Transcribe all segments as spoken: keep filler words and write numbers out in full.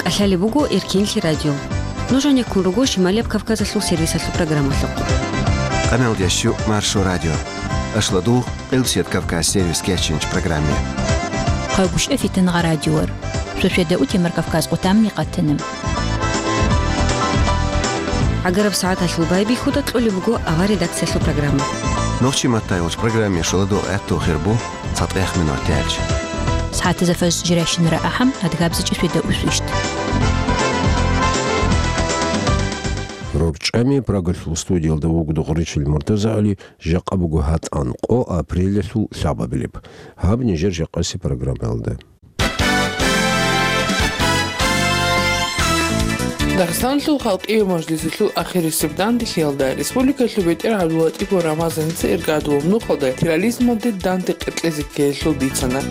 КӀалъалеб буго Эркенлъи радио. Нуж гьанеккун руго Шималияб Кавказалъул сервисалъул программалъухъ. Къамелдящу Маршо радио. Ашладугъ, Къилбсият Кавказ сервис кечинч программе. Хъагушев Фитангъа радиор. Суседа утемар Кавказ къутамни къатанам. ГӀагараб сагӀаталъул байбихьуда кьолеб буго авар редакциялъул программа. Нохчи маттайгъуч программе шоладо гӀатту хирбу. ЦатӀех минут тӀаялъ. СагӀатазда фажр жирайщинара ахӀам, адгабзичӀи светда усвищт. РорчӀами Прагалъул студиялда вугода гъуричил МуртазагӀали, жакъа буго гьатӀан къо апрелалъул лъабабилеб. Гьаб нижер жакъаси программаялда. Дагъистаналъул халкъияв мажлисалъул ахирисеб данделъиялда республикалъул бетӀер ГӀабдуллатӀипов Рамазаница иргадулаб нухалда терроризмалде данде къеркьезе ккеялъул бицана.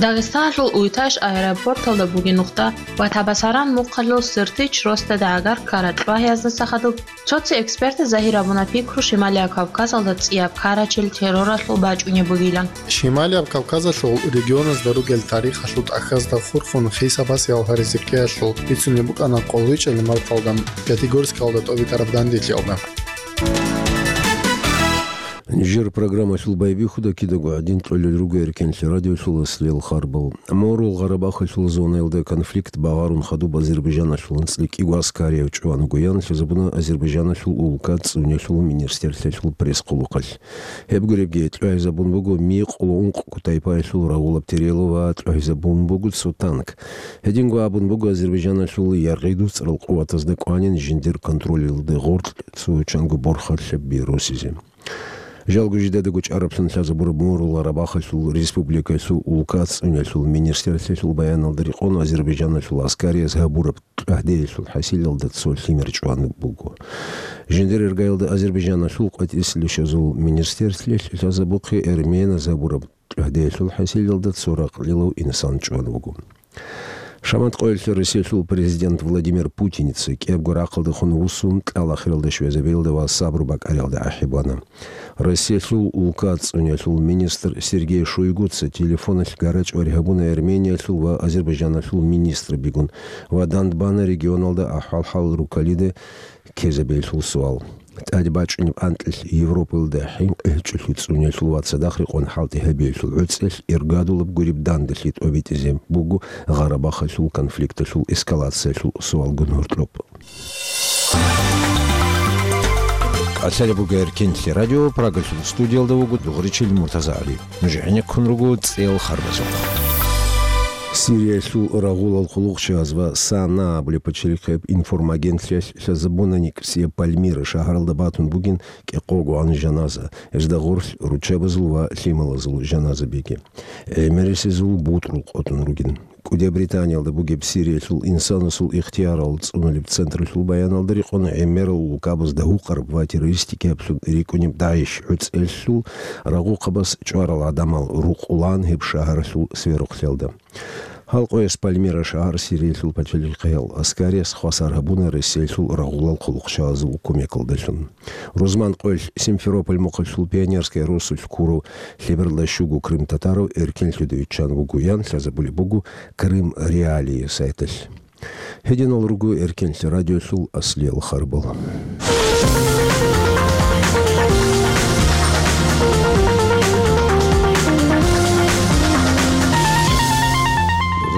Дагъистаналъул Уйташ аэропорталда бугеб нухда ва Табасаран мухъалъул Сертич росдада гӀагар ккарал чӀвагьияздаса хадуб цо-цо экспертаз загьир гьабуна пикру Шималияб Кавказалда цӀияб ккарачел терроралъул бачӀунеб бугилан. Шималияб Кавказалъул регионазда ругел тарихалъул тӀахьазда хурхун хисабас ялгьаризе ккеялъул бицунеб букӀана къоло вичӀел марталда Пятигорскалда тӀобитӀараб данделъиялда. Нижер программалъул байбихьуда кидаго гӀадин кьолел руго Эркенлъи радиолъул аслиял харбал. Морул Гъарабахалъул зонаялда конфликт багъарун хадуб Азербайжаналъул анцӀила кӀиго аскарияв чӀван вугоян лъазабуна Азербайжаналъул улка цӀунелъул министрлъиялъул пресс-хъулухъалъ. Гьеб гуребги, тӀагӀизабун буго микъуло ункъго тайпаялъул рагъулаб терело ва тӀагӀизабун буго цо танк. Гьединго абун буго Азербайжаналъул яргъи-дуцӀрал къуватазда кӀванин жиндир контролалда гъоркь цо чанго борхалъаби росизе. Жалго жидедаго чӀараблъун лъазабураб Морул Гъарабахалъул республикалъул улка цӀунелъул министрлъиялъул баяналда рекъон Азербайжаналъул аскарияз гьабураб тӀагӀдеялъул хӀасилалда цо лъимер чӀван буго. Жиндир иргаялда Азербайжаналъул къватӀислъи щвезул министрлъиялъ лъазабухъе эрменаз гьабураб тӀагӀдеялъул хӀасилалда цо ракълилав инсан чӀван вуго. Шамат къоялъ Россиялъул президент Владимир Путиница кӀиябго рахъалдехун вуссун, кьал ахиралда щвезабиялда ва сабру бакӀариялда ахӀи бана. Россиялъул улка цӀунелъул министр Сергей Шойгуца телефоналъ гарачӀвари гьабуна Армениялъул ва Азербайжаналъул министрабигун ва дандбана регионалда ахӀвал-хӀал руккалида ккезабиялъул суал. ТӀаде бачӀунеб анкьилъ Европаялда хӀинкъи гьечӀолъи цӀунелъул ва цадахъ рекъон хӀалтӀи гьабиялъул гӀуцӀелъ иргадулаб гуреб данделъи тӀобитӀизе буго Гъарабахалъул конфликталъул эскалациялъул суалгун гьоркьоб. КӀалъалеб буго Эркенлъи радио, Прагалъул студиялда вуго дугъричил МуртазагӀали. Нуж гӀенеккун руго цӀел харбазухъ. Сириялъул рагъулал хъулухъчияз ва САНА абулеб пачалихъияб информагентлъиялъ лъазабуна НикӀсияб Пальмира шагьаралда батун бугин кӀикъого гӀан жаназа, гьезда гъорлъ руччабазул ва лъималазул жаназабиги. ГӀемерисезул бутӀрул къотӀун ругин. КӀудияб Британиялда бугеб Сириялъул инсанасул ихтиярал цӀунулеб централъул баяналда рекъон гӀемерал улкабазда гьукъараб ва террористикаблъун рикӀкӀунеб ДАИШ гӀуцӀелъул рагъухъабаз чӀварал гӀадамал рукъулаан гьеб шагьаралъул сверухълъиялда. Гьал къояс Пальмира шагьар Сириялъул пачалихъиял аскарияс хвасар гьабуна Россиялъул рагъулал хъулухъчагӀазул кумекалдалъун. Рузман къоялъ Симферополь мухъалъул Пионерская росулъ ккурав лъебералда щуго крымтатарав эркенлъуда виччан вугоян лъазабулеб буго Крым Реалии сайталъ. Гьединал руго Эркенлъи радиолъул аслиял харбал.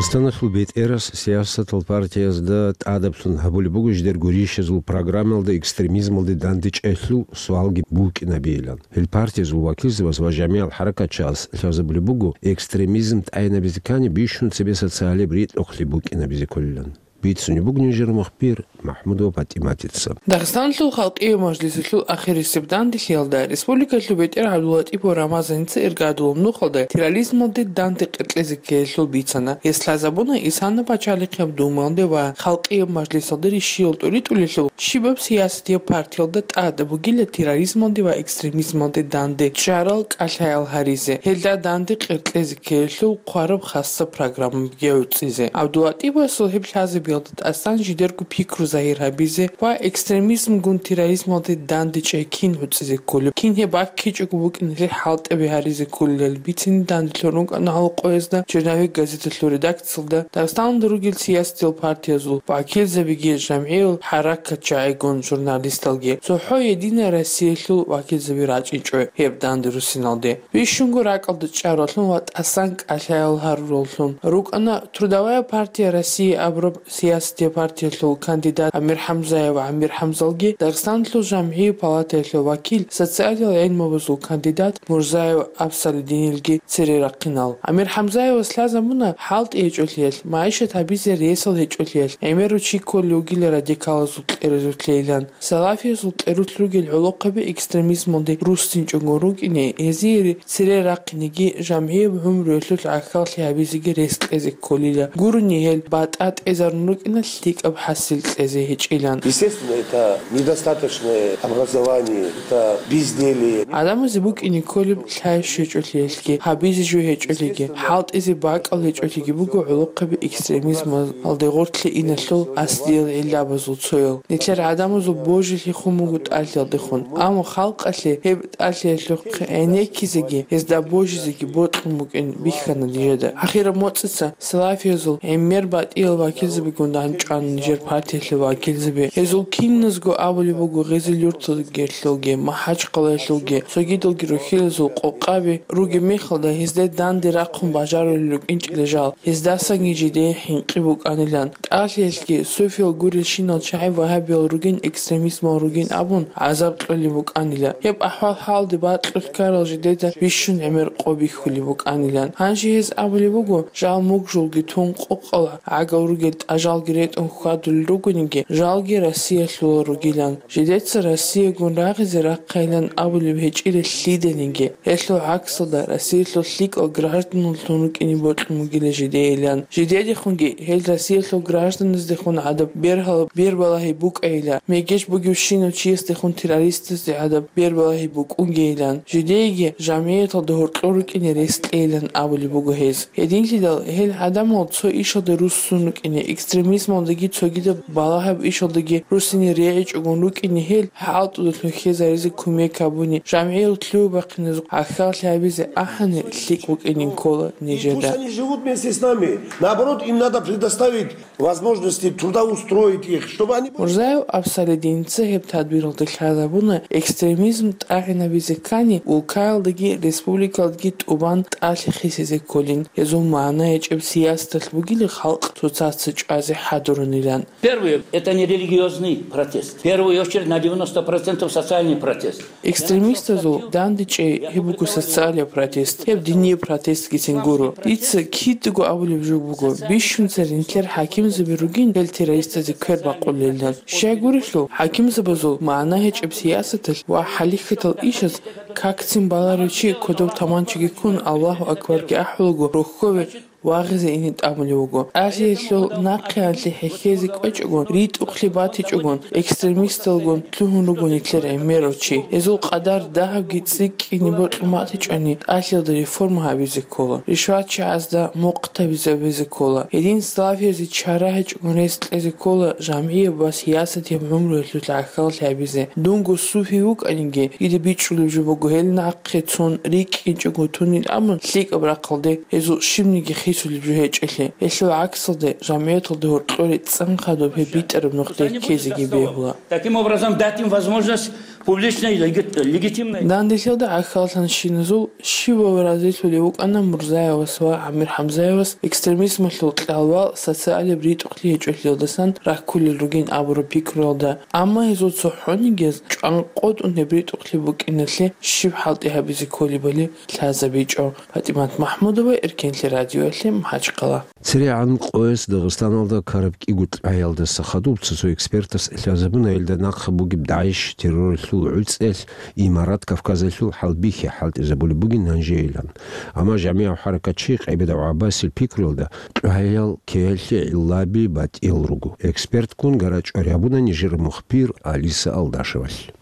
Дагъистаналъул бетӀерас сиясатал партиязда тӀадаблъун гьабулеб буго жидер гурищазул программалда экстремизмалде дандечӀелъул суалги букӀинабейилан. Гьел партиязул вакилзабаз ва жамигӀал хӀаракатчияз лъазабулеб буго, экстремизм тӀайинабизе ккани бищун цебе социалияб ритӀухълъи букӀинабизе кколилан. Бицунеб буго нижер мухбир МахӀмудова ПатӀиматица. Дагъистаналъул халкъияв мажлисалъул ахирисеб данделъиялда республикалъул бетӀер ГӀабдуллатӀипов Рамазаница иргадулаб нухалда терроризмалде данде къеркьезе ккеялъул бицана. Гьес лъазабуна Исана пачалихъияб Думаялде ва халкъияб мажлисалде рищиял тӀуритӀулелъул щибаб сиясатияб партиялда тӀад бугила терроризмалде ва экстремизмалде данде чӀарал кӀалъаял гьаризе, гьелда данде къеркьезе ккеялъул хъвараб хасса программабиги гӀуцӀизе. ГӀабдуллатӀипасул гьеб лъазаби тӀасан жидерго пикру загьир гьабизе ва экстремизмгун терроризмалде дандечӀей кин гӀуцӀизе кколеб, кин гьеб баккичӀого букӀиналъе хӀалтӀаби гьаризе кколилан бицине данделъун рукӀана гьал къоязда, «Черновик» газеталъул редакциялда, Дагъистаналда ругел сиясатиял партиязул вакилзабиги, жамгӀиял хӀаракатчагӀигун журналисталги. ЦохӀо «Единая Россиялъул» вакилзаби рачӀинчӀо гьеб данде руссиналде. Бищунго ракӀалда чӀаралъун ва тӀасан кӀалъаял гьарураллъун рукӀана Трудовая партия России абураб сиясатиял партиялъул кандидат Амир Хамзаев Амир Хамзалги, Дагъистаналъул жамгӀиял палатаялъул вакил, социалиял гӀилмабазул кандидат Мурзаев Абсалидинилги цере рахъинал. Амир Хамзаевас лъазабуна хӀалтӀи гьечӀолъиялъ, магӀишат гьабизе ресал гьечӀолъиялъ, гӀемерав чи кколев вугила радикалазул кьеразулъейилан. Салафиязул кьерулъ ругел гӀолохъаби экстремизмалде руссинчӀого рукӀине, гьезие цере рахъинеги, жамгӀияб гӀумруялъулъ гӀахьаллъи гьабизеги рес кьезе кколила. Гурони гьел батӀа тӀезарун рукӀина лъикӀаб хӀасил кьезе гьечӀилан. Естественно, это недостаточное образование, это безделье. ГӀадамазе букӀине кколеб лъай щвечӀолъиялъги, гьабизе жо гьечӀолъиги, хӀалтӀизе бакӀал гьечӀолъиги буго гӀолохъаби экстремизмалде гъорлъе иналъул аслиял гӀиллабазул цоял. Нилъер гӀадамазул божилъи хун буго тӀалъиялдехун, амма халкъалъе гьеб тӀалъиялъухъ гӀенеккизеги, гьезда божизеги бокьун букӀин бихьана нижеда. Ахираб моцӀица салафиязул гӀемер батӀиял вакилзабигун дандчӀвана нижер партиялъул вакилзаби. Гьезул киназго абулеб буго Гъезил-Юрталгелъулги, МахӀачхъалаялъулги, цогидалги рухӀилазул къокъаби ругеб мехалда, гьезда данде рахъун бажарулел рукӀинчӀила жал, гьездасанги жидее хӀинкъи букӀанилан. ТӀалъиялъги суфиял гурелщинал чагӀи вагьабиял ругин, экстремизмал ругин абун гӀазаб кьолеб букӀанила. Гьеб ахӀвал-хӀалде бакьулъ ккарал жидеда бищун гӀемер къо бихьулеб букӀанилан. Гьанже гьез абулеб буго, жал мугжулги тун къокъал гӀагал ругел тӀажалги ретӀун хьвадулел ругониги, жалги Россиялъулал ругилан. Жидеца Россиягун рагъизе рахъайилан абулеб гьечӀила лъиданиги. Гьелъул гӀаксалда, Россиялъул лъикӀал гражданлъун рукӀине бокьун бугила жидейилан. Жидедехунги гьел Россиялъул гражданаздехун гӀадаб бергьал-, бербалагьи букӀайила, мегеж бугевщинав чиясдехун террористазде гӀадаб бербалагьи букӀунгейилан. Жидееги жамгӀияталда гьоркьор рукӀине рес кьейилан абулеб буго гьез. Гьединлъидал гьел гӀадамал цо ишалда руссун рукӀине, экстремизмалдаги цогидаб балагьаб ишалдаги руссине регӀичӀогун рукӀине, гьел хӀалтӀудалъун хьезаризе кумек гьабуни, жамгӀиял лъугьа-бахъиназухъ гӀахьаллъи гьабизе ахӀани лъикӀ букӀинин ккола нижеда. Пусть они живут вместе с нами. Наоборот, им надо предоставить возможности трудоустроить их, чтобы они были... Мурзаев Абсалидинца гьеб тадбиралда лъазабуна, экстремизм тӀагӀинабизе ккани, улкаялдаги республикалдаги тӀубан тӀалъи хисизе кколин, гьезул магӀна гьечӀеб сиясаталъ бугила халкъ цоцаца чӀвазе хӀадурунилан. Первое, это не религиозный протест. В первую очередь на девяносто процентов социальный протест. Экстремистазул дандечӀей гьеб буго социалияб протест, гьеб динияб протестгицин гуро. Дица кидаго абулеб жо буго, бищунца нилъер хӀакимзаби ругин гьел террористазе квер бакъулелилан. Щай гурелъул, хӀакимзабазул магӀна гьечӀеб сиясаталъ ва хӀалихьатал ишаз какцин баларев чи кодоб таманчаги ккун, Аллагьу акбарги ахӀулаго, рохьове вагъизе ине тӀамулев вуго. ТӀалъиялъул нахъеялъе хӀехьезе кӀвечӀогун, ритӀухълъи батичӀогун, экстремисталгун лъугьун руго нилъер гӀемерав чи. Гьезул къадар дагьабги цӀикӀкӀине бокьун батичӀони, тӀалъиялда реформа гьабизе ккола, ришватчагӀазда мухъ табизабизе ккола. Гьедин салафиязе чара гьечӀогун рес кьезе ккола жамгӀияб ва сиясатияб гӀумруялъулъ гӀахьаллъи гьабизе. Дунго суфи вукӀаниги, дида бичӀчӀулеб жо буго гьел нахъе цун рикӀкӀинчӀого тунил абун лъикӀаб рахъалде гьезул щибниги хисулеб жо гьечӀелъи. Гьелъул гӀаксалде, жамгӀияталда гьоркьоре цӀан хадуб гьеб битӀараб нухде ккезеги бегьула. Таким образом, дать им возможность публичной, легит-, легитимной. Данделъиялда гӀахьаллъанщиназул щивав разилъулев вукӀана Мурзаевас ва Амир Хамзаевас экстремизмалъул кьалвал социалияб ритӀухълъи гьечӀолъиялдасан раккулел ругин абураб пикруялда. Амма гьезул цохӀонигияз чӀванкъотӀун гьеб ритӀухълъи букӀиналъе щиб хӀалтӀи гьабизе кколебали лъазабичӀо. ПатӀимат МахӀмудова, Эркенлъи радиоялъе, МахӀачхъала. ЦерегӀан къояс Дагъистаналда ккараб кӀиго кьвагӀиялдаса хадуб цо-цо экспертас лъазабуна, гьелда нахъа бугеб ДАИШ терроралъул гӀуцӀиялъ Имарат Кавказалъул хӀалбихьи хӀалтӀизабулеб бугин гьанжейилан. Амма жамигӀав хӀаракатчи КъайбадагӀ ГӀаббасил пикруялда, кьвагӀиял ккеялъе гӀиллаби батӀиял руго. Экспертккун гара-чӀвари гьабуна нижер мухбир Алиса Алдашевалъ.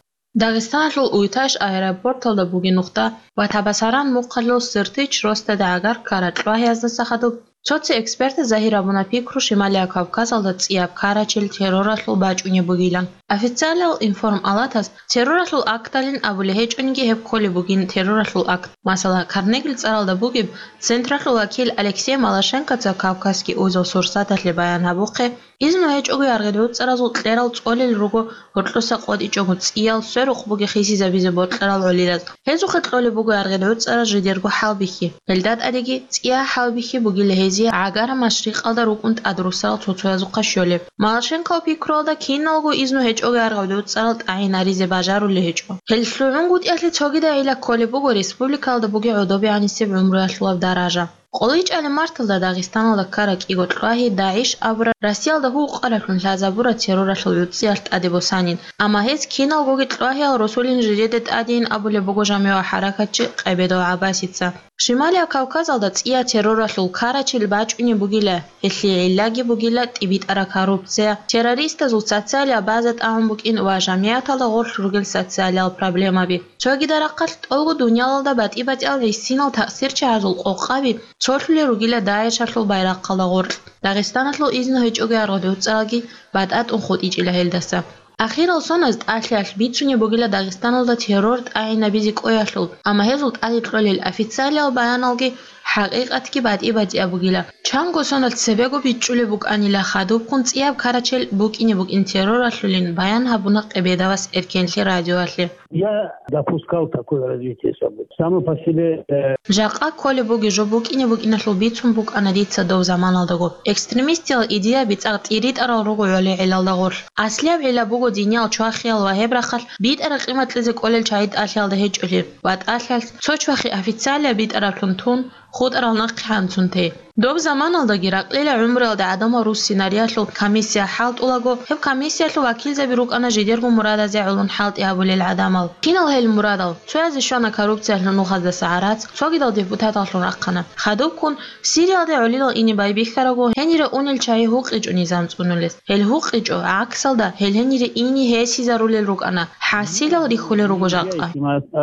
Дагъистаналъул Уйташ аэропорталда бугеб нухда ва Табасаран мухъалъул Сыртич росдада гӀагар ккараб кьвагӀияздаса хадуб Цо-цо экспертаз загьир гьабуна пикру Шималияб Кавказалда цӀияб карачел терроралъул бачӀунеб бугилан. Официалиял информалатас терроралъул акталин абулеб гьечӀониги гьеб кколеб бугин терроралъул акт. Масала, Карнегил цӀаралда бугеб централъул вакил Алексей Малашенкоца Кавказский узел сурсаталъе баян гьабухъе, изну гьечӀого яргъи гӀуцӀаразул кьерал цӀолел руго гьоркьоса къотӀичӀого цӀиял сверухъ бугеб хисизабизе бокьарал гӀолилаз. Гьезухъе кьолеб буго яргъи гӀуцӀараз жидерго хӀалбихьи. Гьелда тӀадеги цӀия хӀалбихьи бугила гьезие гӀагара машрикъалда рукӀун тӀадруссарал цо-цоязухъа щолеб. Малашенков пикруялда киналго изну гьечӀого яргъи гӀуцӀарал тӀагӀинаризе бажарулеб гьечӀо. Гьел лъугӀунгутӀиялъе цогидайила кколеб буго республикалда бугеб гӀодобегӀанисеб гӀумруялъулаб даража. КъолайчӀалаб марталда Дагъистаналда ккараб кӀиго кьвагьи ДАГӀИШ абураб Россиялда гьукъараблъун лъазабураб терроралъул гӀуцӀиялъ тӀаде босанин, амма гьез киналгоги кьвагьиял росулин жидеда тӀадейин абулеб буго жамигӀвал хӀаракатчи Къебедов ГӀаббасица. Шималияб Кавказалда цӀияб терроралъул карачел бачӀунеб бугила, гьелъие гӀиллаги бугила тӀибитӀараб коррупция, террористазул социалияб база тӀагӀун букӀин ва жамигӀаталда гъорлъ ругел социалиял проблемаби. Цогидал рахъалъ тӀолго дуниялалда батӀи-батӀиял гӀисинал таъсирчагӀазул къокъаби цолъулел ругила ДАГӀИШалъул байрахъалда гъоркь. Дагъистаналъул изну гьечӀого яргъи гӀуцӀаралги батӀа-тӀун хутӀичӀила гьелдаса. Ахирал соналъ тӀалъиялъ бицунеб бугила Дагъистаналда террор тӀагӀинабизе кӀвеялъул, амма гьезул тӀаде кьолел официалиял баяналги хӀакъикъатги батӀи-батӀияб бугила. Чанго соналъ цебего бичӀчӀулеб букӀанила хадубккун цӀияб карачел букӀине букӀин терроралъулин, баян гьабуна Къебедовас Эркенлъи радиоялъе. Я допускал такое развитие событий. Само по себе, э, Жакъа кколеб бугеб жо букӀине букӀиналъул бицун букӀана дица доб заманалдаго. Экстремистиял идеяби цӀакъ тӀиритӀарал руго гӀолегӀелалда гъорлъ. Аслияб гӀилла буго диниял чвахиял ва гьеб рахъалъ битӀараб къимат кьезе кӀолел чагӀи тӀалъиялда гьечӀолъи ва тӀалъиялъ цо чвахи официалияб битӀараблъун тун, хутӀарал нахъе гьанцун тей. Доб заманалдаги ракьила гӀумруялда гӀадамал руссинариялъул комиссия хӀалтӀулаго, гьеб комиссиялъул вакилзаби рукӀана жидерго мурадазе гӀолун хӀалтӀи гьабулел гӀадамал. Кинал гьел мурадал? Цоязе щвана коррупциялъул нухаздаса гӀарац, цогидал депутаталлъун рахъана. Хадубккун, Сириялде гӀолилал ине байбихьараго, гьенире унел чагӀи гьукъичӀо низам цӀунулес. Гьел гьукъичӀо, гӀаксалда, гьел гьенире ине гьесизарулел рукӀана. ХӀасилал рихьулел руго жакъа.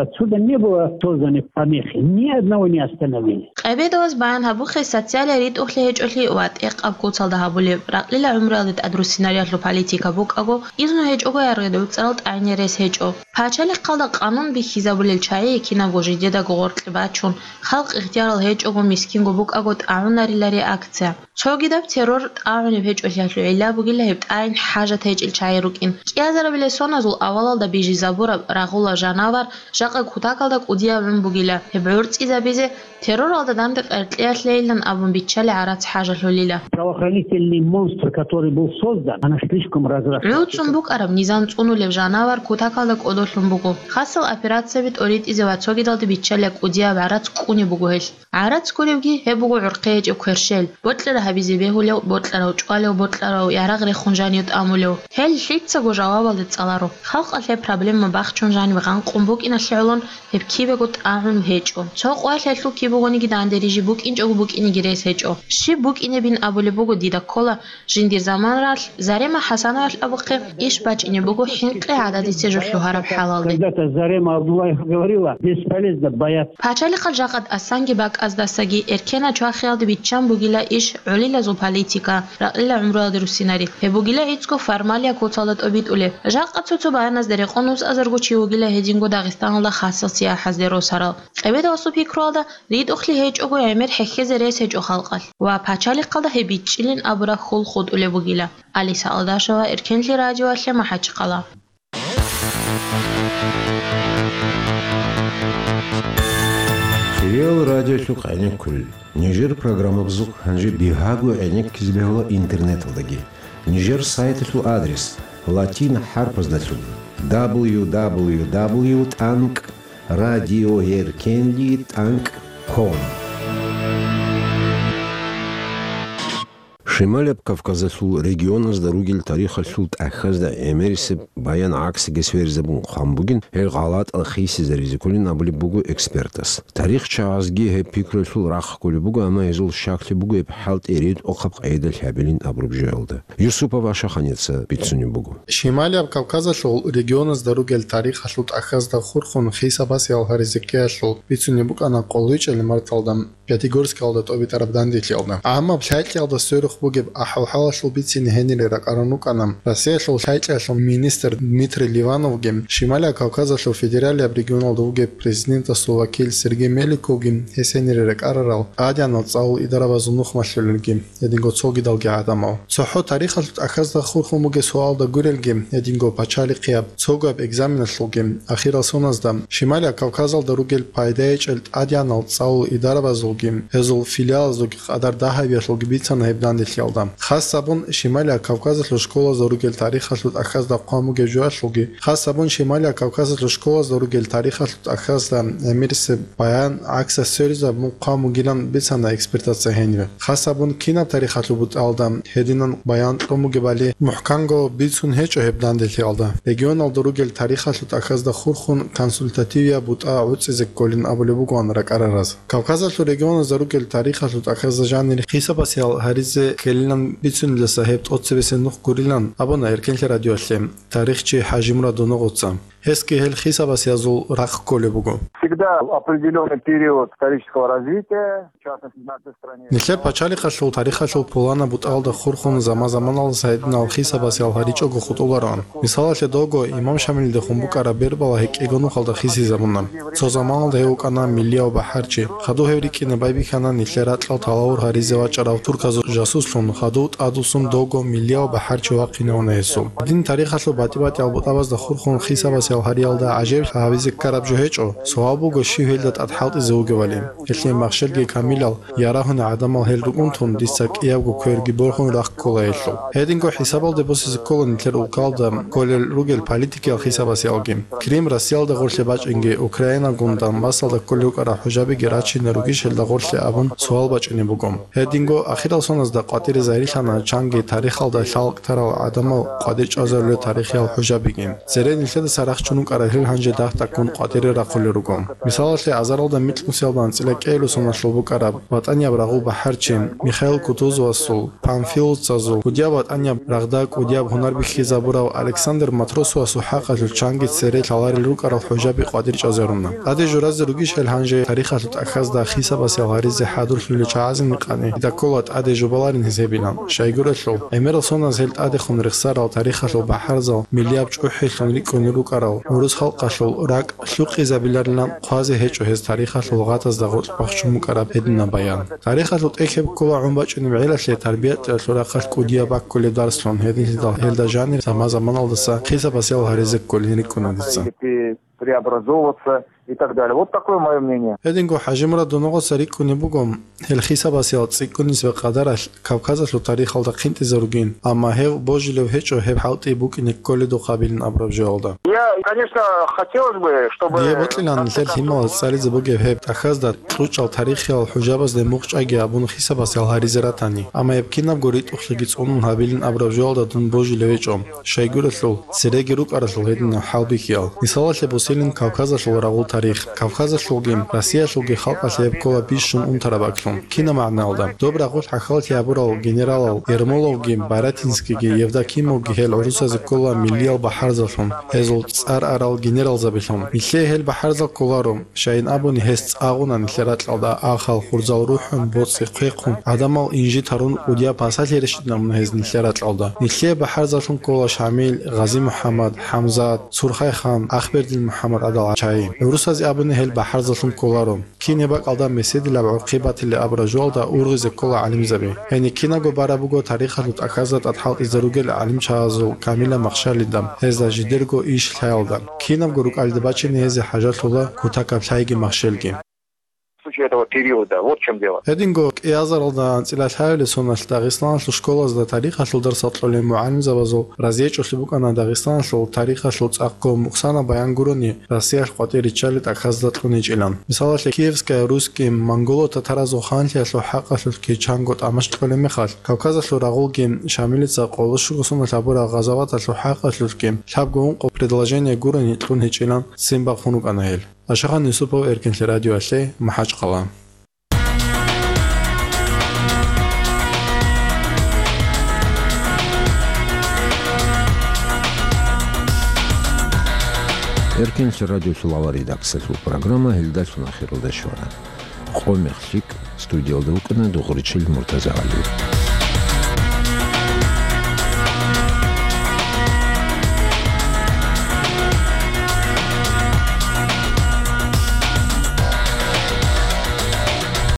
Отсюда не было созданы помехи, ни одного не остановили. Къебедовас баян гьабухъе социалияб ритӀухълъи гьечӀолъи ва тӀехъаб куцалда гьабулеб, ракьила гӀумруялде тӀадруссинариялъул политика букӀаго, изну гьечӀого яргъи гӀуцӀарал тӀагӀине рес гьечӀо. Пачалихъалда къанун бихьизабулел чагӀи кинабго жидедаго гъоркье бачун, халкъ ихтиярал гьечӀого, мискинго букӀаго тӀагӀунарила реакция. Цогидаб террор тӀагӀунеб гьечӀолъиялъул гӀилла бугила гьеб тӀагӀин хӀажат гьечӀел чагӀи рукӀин. КӀиазарабилеб соназул авалалда бижизабураб рагъула жанавар жакъа кутакалда кӀудияб гӀун бугила. Гьеб гӀорцӀизабизе терроралда данде къеркьеялъейилан абун биччалеб гӀарац хӀажалъулила. Правоохранительный монстр, который был создан, она слишком разросла. ГӀуцун букӀараб низам цӀунулеб жанавар кутакалда кӀодолъун буго. Хасал операцияби тӀоритӀизе ва цогидалде биччалеб кӀудияб гӀарац кӀунеб буго гьелъ. ГӀарац гуребги гьеб буго гӀурхъи гьечӀеб кверщел, бокьараб гьабизе бегьулев, бокьарав чӀвалев, бокьарав ярагъ рехун жанив тӀамулев. Гьел лъицаго жавабалде цӀаларо. Халкъалъ гьеб проблема бахчун жанив гъанкъун букӀиналъе гӀолон гьеб кибего тӀагӀун гьечӀо. Цо къоялъ гьелъул кибегониги данде рижи букӀинчӀого букӀинеги рес гьечӀо. Щиб букӀинебин абулеб буго дида ккола, жиндир заманалъ Зарема ХӀасановалъ абухъе иш бачӀине буго хӀинкъи гӀададисе жо лъугьараб хӀалалде. Когда-то Зарема Абдуллаева говорила: «Бесполезно бояться». Пачалихъал жакъа тӀасанги бакӀаздасаги эркенал чвахиялде биччан бугила иш гӀолилазул политика, ракьила гӀумруялде руссинари. Гьеб бугила гӀицӀго формалияб куцалда тӀобитӀулеб. Жакъа цо-цо баяназда рекъон устӀазарго чи вугила гьединго Дагъистаналда хасал сияхӀазде росарал. Къебедовасул пикруялда, ритӀухълъи гьечӀого гӀемер хӀехьезе рес гьечӀо халкъалъ ва пачалихъалда гьеб бичӀчӀилин абураб хьул хутӀулеб бугила. Алиса Алдашева, Эркенлъи радиоялъе, МахӀачхъала. Хириял радиолъухъ гӀенеккулел. Нижер программабазухъ гьанже бигьаго гӀенеккизе бегьула интернеталдаги. Нижер сайталъул адрес: латин хӀарпаздалъун: дабл ю дабл ю дабл ю тӀанкӀ радиоэркенлъи тӀанкӀ ком. Шималияб Кавказалъул регионазда ругел тарихалъул тӀахьазда гӀемерисеб баян гӀаксиги сверизабун хъван бугин, гьел гъалатӀал хисизаризе кколин абулеб буго экспертас. ТарихчагӀазги гьеб пикруялъул рахъ кколеб буго, амма гьезул щаклъи буго гьеб хӀалтӀи ритӀухъаб къайдалъ гьабилин абураб жоялда. Юсупов Ашаханица бицунеб буго. Шималияб Кавказалъул регионазда ругел тарихалъул тӀахьазда хурхун хисабас ял гьаризе ккеялъул бицунеб букӀана къолойчӀел марталда. Пятигорскалда тӀобитӀараб данделъиялда. Амма лъайкьиялда сверухъ бугеб ахӀвал-хӀалалъул бицине гьенире ракӀарун рукӀана Россиялъул лъайкьиялъул министр Дмитрий Ливановги, Шималияб Кавказалъул федералияб регионалда вугеб президентасул вакил Сергей Меликовги гьес гьенире ракӀарарал тӀадегӀанал цӀалул идарабазул нухмалъулелги, гьединго цогидалги гӀадамал. ЦохӀо тарихалъул тӀахьазда хурхун бугеб суалда гурелги, гьединго пачалихъияб, цогояб экзаменалъулги, ахирал соназда, Шималияб Кавказалда ругел пайдаячӀел тӀадегӀанал цӀалул идарабазулги, гьезул филиалазулги къадар дагьабиялъулги бицана гьеб данделъиялда. Хас гьабун, Шималияб Кавказалъул школазда ругел тарихалъул тӀахьазда хъван бугеб жоялъулги, хас гьабун, Шималияб Кавказалъул школазда ругел тарихалъул тӀахьазда гӀемерисеб баян гӀаксалъ сверизабун хъван бугилан бицана экспертаца гьенибе. Хас гьабун, кинаб тарихалъул бутӀалда гьединан баян кьун бугебали мухӀканго бицун гьечӀо гьеб данделъиялда. Регионалда ругел тарихалъул тӀахьазда хурхун консультативияб бутӀа гӀуцӀизе кколин абулеб бугоан ракӀарараз. Кавказалъул регионазда ругел тарихалъул тӀахьазда жанир хисабасиял гьаризе ккелилан бицуниласа гьеб тӀоцебесеб нух гурилан абуна Эркенлъи радиоялъе тарихчи ХӀажимурад Доногъоца. Гьесги гьел хисабасиязул рахъ кколеб буго. Всегда определённый период исторического развития, в частности, в нашей стране. Нилъер пачалихъалъул тарихалъул пуланаб бутӀалда хурхун заман-заманалдаса гьединал хисабасиял гьаричӀого хутӀулароан. Мисалалъе, довго имам Шамилидехун букӀараб Бербала гьекӀего нухалда хисизабуна. Цо заманалда гьев вукӀана миллияв бахӀарчи. Хадув гьев рикӀкӀине байбихьана нилъер ракьал талавур гьаризе вачӀарав турказул жасуслъун, хадув тӀадвуссун довго миллияв бахӀарчи вахъинавуна гьесул. Дин тарихалъул батӀи-батӀиял бутӀабазда хурхун хисабасиял гьариялда гӀажаиблъи гьабизе ккараб жо гьечӀо, суал буго, щив гьелда тӀад хӀалтӀизе вугевали. Гьелъие махщелги камилал, ярагьуни гӀадамал гьел рукӀунтун, дица кӀиябго кверги борхун рахъ ккола гьелъул. Гьединго хӀисабалде босизе ккола нилъер улкалда кколел ругел политикиял хисабасиялги. Крым Россиялда гъорлъе бачӀинги, Украинагун Донбассалда кколел рукӀарал хӀужабиги рачине ругищ гьелда гъорлъе абун суал бачӀунеб буго. Гьединго ахирал соназда къватӀире загьирлъана чанги тарихалда лъалкӀ тарал гӀадамал къватӀир чӀвазарулел тарихиял хӀужабиги. Цере нилъедаса рахчун рукӀарал гьел гьанже дагь-дагьккун къватӀире рахъулел руго. Мисалалъе, азаралда микьнусиялда анцӀила кӀиабилеб соналъул букӀараб ВатӀанияб рагъу бахӀарчи Михаил Кутузовасул, панфиловцазул, кӀудияб ватӀанияб рагъда кӀудияб гьунар бихьизабурав Александр Матросовасул хӀакъалъулъ чанги цере лъаларел рукӀарал хӀужаби къватӀир чӀвазаруна. ТӀаде журазе ругищ гьел гьанже тарихалъул тӀахьазда хисабасиял гьаризе хӀадурлъулел чагӀазул микъани, дида ккола тӀаде жубаларин гьез гьебилан. Щайгурелъул, гӀемерал соназ гьел тӀадехун рехсарал тарихалъул бахӀарзал миллияб чӀухӀилъун рикӀкӀунел рукӀарал гӀурус халкъалъул ракӀ лъукъизабиларилан хъвазе гьечӀо гьез тарихалъул гъатазда гъоркь бахчун букӀараб гьединаб баян. Тарихалъул тӀехь гьеб ккола гӀун бачӀунеб гӀелалъе, тарбиятӀиялъул рахъалъ кӀудияб баккулеб дарслъун, гьединлъидал гьелда жанир заман-заманалдаса хисабасиял гьаризе кколин рикӀкӀуна дица. Преобразовываться и так далее. Вот такое моё мнение. Гьединго ХӀажимурад Доногъоца рикӀкӀунеб буго, гьел хисабасиял цӀикӀкӀунисеб къадаралъ Кавказалъул тарихалда хъинтӀизаругин, амма гьев божилев гьечӀо гьеб хӀалтӀи букӀине кколедухъ гьабилин абураб жоялда. Я, конечно, хотелось бы, чтобы... Дие бокьилан нилъер лъималаз цӀализе бугеб гьеб тӀахьазда кьучӀал тарихиял хӀужабазде мухъ чӀвайги абун хисабасиял гьаризе ратани, амма гьеб кинабго ритӀухълъиги цӀунун гьабилин абураб жоялда дун божилев гьечӀо. Щайгурелъул, цереги рукӀаралъул гьединал хӀалбихьиял. Мисалалъе босилин Кавказалъул рагъул тарих. Кавказалъулги, Россиялъулги халкъалъе гьеб ккола бищун унтараб аклъун. Кинаб магӀналда? Доб рагъулъ хӀахьаллъи гьабурал генералал Ермоловги, Барятинскийги, Евдокимовги гьел гӀурусазе ккола миллиял бахӀарзаллъун, гьезул цӀар арал генералзабилъун. Нилъее гьел бахӀарзал кколаро. Щайин абуни, гьес цӀагъуна нилъер ракьалда, ахал, хурзал рухӀун, боцӀи хъвехъун, гӀадамал инжит гьарун, кӀудияб пасалъи рещтӀинабуна гьез нилъер ракьалда. Нилъее бахӀарзаллъун ккола Шамил, Гъази-МухӀаммад, ХӀамзат, Сурхайхан, Ахбердин-МухӀаммад гӀадал чагӀи. ГӀурусазе абуни, гьел бахӀарзаллъун кколаро. Кин гьеб бакӀалда меседилаб гӀурхъи батилеб абураб жоялда ургъизе ккола гӀалимзаби. Гьениб кинабго бараб буго тарихалъул тӀахьазда тӀад хӀалтӀизе ругел гӀалимчагӀазул камилаб махщалида, гьезда жидерго иш лъаялда. Кинабго рукӀалде бачине гьезие хӀажалъула кутакаб лъайги махщелги. В случае этого периода, вот в чём дело. Гьединго кӀиазаралда анцӀила лъабилеб соналъ Дагъистаналъул школазда тарихалъул дарсал кьолел мугӀалимзабазул разиечӀолъи букӀана Дагъистаналъул тарихалъул цӀакъго мукъсанаб баян гурони Россиялъ къватӀир риччалел тӀахьазда кьун гьечӀилан. Мисалалъе, Киевская русским, монголо-татаразул ханлъиялъул хӀакъалъулъги чанго тӀамаш кьолеб мехалъ, Кавказалъул рагъулги Шамилица къоло щуго соналъ гьабурал гъазаваталъул хӀакъалъулъги лъабго ункъо предложение гурони кьун гьечӀилан ццин бахъун рукӀана гьел. Ашахан Юсупов, Эркенлъи радиоялъе, МахӀачхъала. Эркенлъи радиолъул авар редакциялъул программа гьелдалъун ахиралде щвана. Мехлъик студиялда вукӀана Дугъричил МуртазагӀали.